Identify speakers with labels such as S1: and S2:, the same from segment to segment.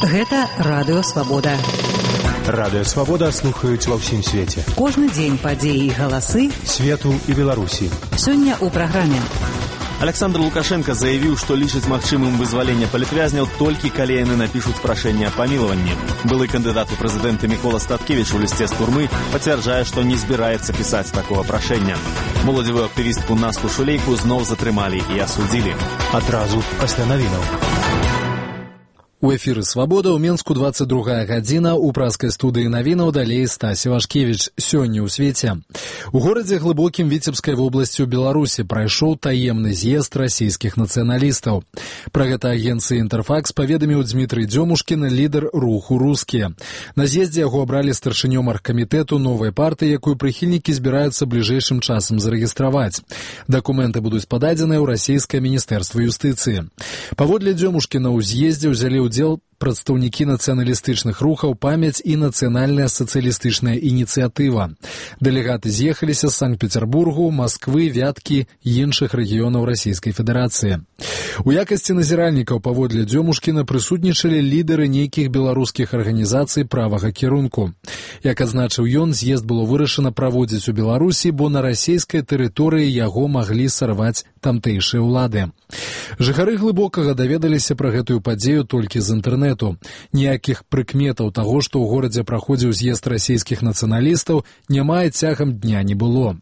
S1: Гэта Радыё Свабода.
S2: Радыё Свабода слухаюць ва ўсім свеце.
S1: Кожны дзень падзеі і галасы
S2: свету і Беларусі.
S1: Сёння ў праграме.
S3: Александр Лукашенко заявіў, што лічыць магчымым вызваленне палітвязняў толькі калі яны напішуць прашэнне аб памілаванні. Былы кандыдат у прэзідэнты Мікола Статкевіч у лісце з турмы пацвярджае, што не збіраецца пісаць такога прашэння. Моладзевую актывістку Насту Шулейку зноў затрымалі і асудзілі.
S2: Адразу пасля навінаў.
S4: У эфіры «Свабода» ў Менску 22 гадзіна, у праскай студыі навінаў далей Стасі Вашкевіч. Сёння ў свеце. У горадзе глыбокім Віцебскай вобласці ў Беларусі прайшоў таемны з'езд расійскіх нацыяналістаў. Пра гэта агенцыі «Інтэрфакс» паведаміў Дмітрый Дзёмушкін, лідар руху «Рускія». На з'ездзе яго абралі старшынём аргкамітэту новай партыі, якую прыхільнікі збіраюцца бліжэйшым часам зарэгістраваць. Дакументы будуць пададзеныя ў расійскае міністэрства юстыцыі. Паводле Дзёмушкіна ў з'ездзе ўзялі удзел прадстаўнікі нацыяналістычных рухаў «Памяць» і нацыянальная сацыялістычная ініцыятыва. Дэлегаты з'ехаліся з Санкт-Петербургу, Масквы, Вяткі і іншых рэгіёнаў Расійскай Федэрацыі. У якасці назіральнікаў паводле Дзёмушкіна прысутнічалі лідары нейкіх беларускіх арганізацый правага кірунку. Як адзначыў ён, з'езд было вырашана праводзіць у Беларусі, бо на расійскай тэрыторыі яго маглі сарваць тамтэйшыя ўлады. Жыхары Глыбокага даведаліся пра гэтую падзею толькі з інтэрнэту. Ніякіх прыкметаў таго, што ў горадзе праходзіў з'езд расійскіх нацыяналістаў, няма і цягам дня не было.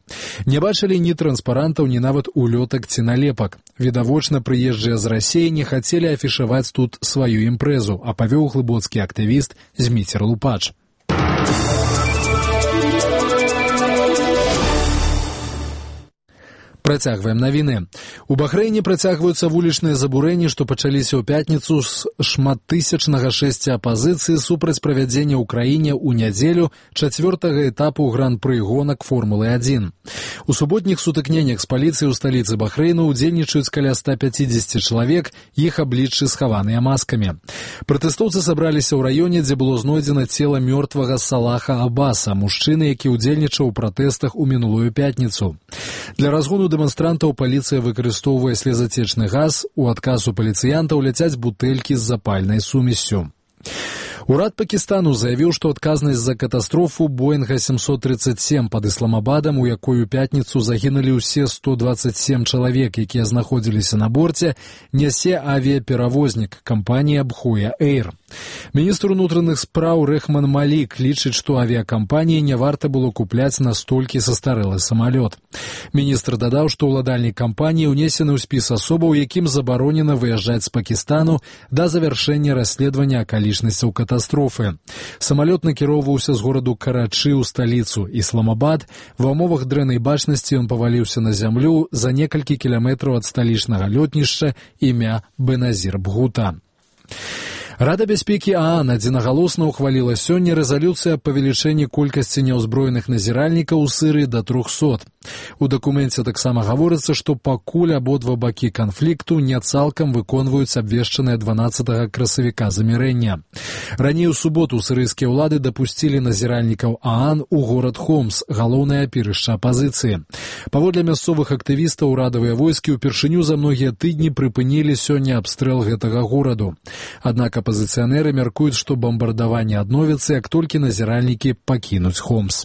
S4: Не бачылі ні транспарантаў, ні нават улётак ці налепак. Відавочна, прыезджыя з Расіі не хацелі афішаваць тут сваю імпрэзу, а павёў глыбоцкі актывіст Зміцер Лупач. Працягваем навіны. У Бахрэйне працягваюцца вулічныя забурэнні, што пачаліся ў пятніцу з шматтысячнага шэсця апазіцыі супраць правядзення ў краіне ў нядзелю 4-го этапу гран-пры гонак Формулы-1. У суботніх сутыкненнях з паліцыяй у сталіцы Бахрэйна ўдзельнічаюць каля 150 чалавек, іх абліччы схаваныя маскамі. Пратэстоўцы сабраліся ў раёне, дзе было знойдзена цела мёртвага Салаха Аббаса, мужчыны, які ўдзельнічаў у пратэстах у мінулую пятніцу. Для разгону дэманстрантаў паліцыя выкарыстоўвае слезацечны газ, у адказ у паліцыянтаў ляцяць бутэлькі з запальнай сумессю. Урад Пакістану заявіў, што адказнасць за катастрофу Боинга 737 пад Ісламабадам, у якой у пятніцу загінулі ўсе 127 чалавек, якія знаходзіліся на борце, нясе авіаперавознік кампанія Бхоя Эйр. Міністр унутраных спраў Рэхман Малік лічыць, што авіакампаніі не варта было купляць настолькі састарэлы самалёт. Міністр дадаў, што ўладальнік кампаніі ўнесены ў спіс асобаў, якім забаронена выязджаць з Пакістану да завяршэння расследавання акалічнасцяў катастрофы. Самалёт накіроўваўся з гораду Карачы ў сталіцу Ісламабад. Ва ўмовах дрэннай бачнасці ён паваліўся на зямлю за некалькі кіламетраў ад сталічнага лётнішча імя Беназір Бхута. Рада бяспекі ААН адзінагалосна ўхваліла сёння рэзалюцыю аб павелічэнні колькасці няўзброеных назіральнікаў у Сырыі да 300. У дакуменце таксама гаворыцца, што пакуль абодва бакі канфлікту не цалкам выконваюць абвешчанае 12 красавіка замірэння. Раней у суботу сырыйскія ўлады дапусцілі назіральнікаў ААН у горад Хомс, галоўнае апірышча апазіцыі. Паводле мясцовых актывістаў, урадавыя войскі ўпершыню за многія тыдні прыпынілі сёння абстрэл гэтага гораду. Аднак апазіцыянеры мяркуюць, што бамбардаванне адновіцца, як толькі назіральнікі пакінуць Хомс.